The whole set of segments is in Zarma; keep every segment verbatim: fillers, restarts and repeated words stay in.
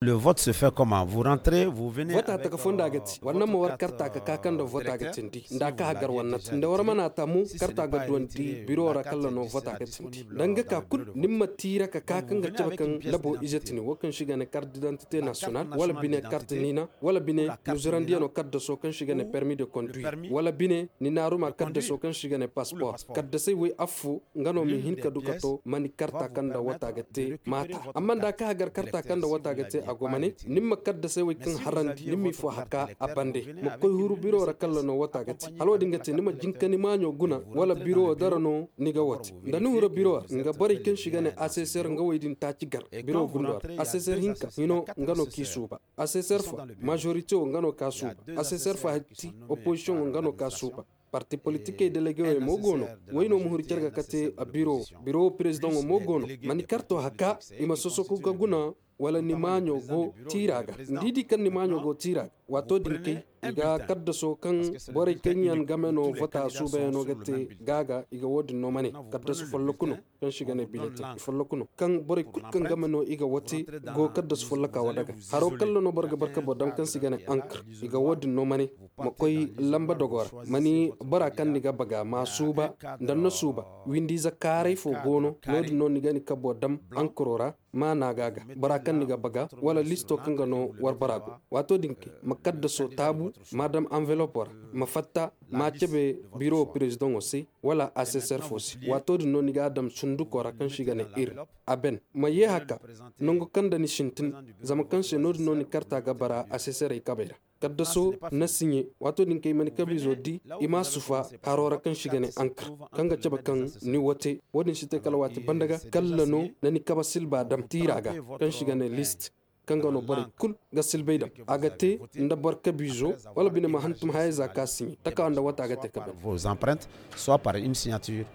Le vote se fait comment? Vous rentrez, vous venez. Vota taka fonda ga ti wala ni ma war karta ga ka kaŋ nda vota ga cindi nda a ka hagar wannat nda war mana ta mo. Karta ga duwandi biro ra kalla no vota ga cindi. Danga ka kulu ni ma tiira ka ka kaŋ ga cabe kaŋ labo ize tini wo kaŋ si ga ne carte d'identité national wala bine carte nina wala bine ni zurandiyano kaddaso kaŋ si ga ne permis de conduire wala bine ni naaruma kaddaso kaŋ si ga ne passeport kaddasey way affo nga no ma hin ka du ka to ma ni karta kaŋ nda wata ga te maata. Amma nda a ka hagar karta kaŋ nda wata ga te a go ma ne ni ma kaddasey way kaŋ harandi ni m'i fo haka a bande ma koy huru biro ra kalla no wata ga te hala wo- din ga te ni ma jin ka ni maaɲo guna wala biro wo dara no ni ga wo te nda ni hura biro ra nga borey kaŋ si ga ne aseser nga way din taaci gar biro gundo ra aseser hinka hino nga no k'i suuba. Aseser fa majorite wo nga no k'a suuba. Aseser fa hatti opposition wo nga no k'a suuba. Parti politikey delegewey mo go no. Way no ma huru care ga kate a biro wo biro wo perezidaŋo mo go no. Ma ni karto haka i ma sosoku ga guna wala ni maaɲo go tiira ga ni di di kaŋ ni maaɲo go tiira ga waato din kay i ga kaddaso kaŋ borey kaŋ yaŋ game no vota suubayano ga te ga ga i ga wo- din no ma ne. Kaddasu folloku no kaŋ si ga ne biletin i folloku no kaŋ borey kulu kaŋ game no i ga wo te go kaddasu folloka wo daga haro kalla no boro ga barka boro dam kaŋ si ga ne ankr. I ga wo- din no ma ne ma koy lamba dogo ra ma ni bora kaŋ ni ga baga ma suuba nda ni na suuba windiize kaaray fo go no no- din no ni ga ni kabo dam ankro ra. Ma naaga ga bora kaŋ ni ga baga wala listo kaŋ ga no war bora go. Waato din kay ma kaddaso taabu ma dam anvelopo ra ma fatta ma cabe biro perezidaŋo se wala aseser fo se. Waato din no ni ga a dam sunduko ra kaŋ si ga ne ir a ben ma ye haka nangu kaŋ nda ni sintin. Zama kaŋ se no- din no ni karta ga bara aseserey kabey ra kaddaso na siɲe. Waato din kay ma ni kabiizo di i ma sufa haro ra kaŋ si ga ne ankr kaŋ ga cabe kaŋ ni wo te. Wo- din si te kala waati banda ga kalla no na ni kaba silba dam tiira ga kaŋ si ga ne list kaŋ ga no borey kulu ga silbay dam a ga te nda boro kabiizo wala bine ma hantum hayey za ka siɲe taka nda wata ga te ka ben. Vos empreintes soit par une signature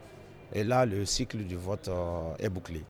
et là le cycle du vote est bouclé.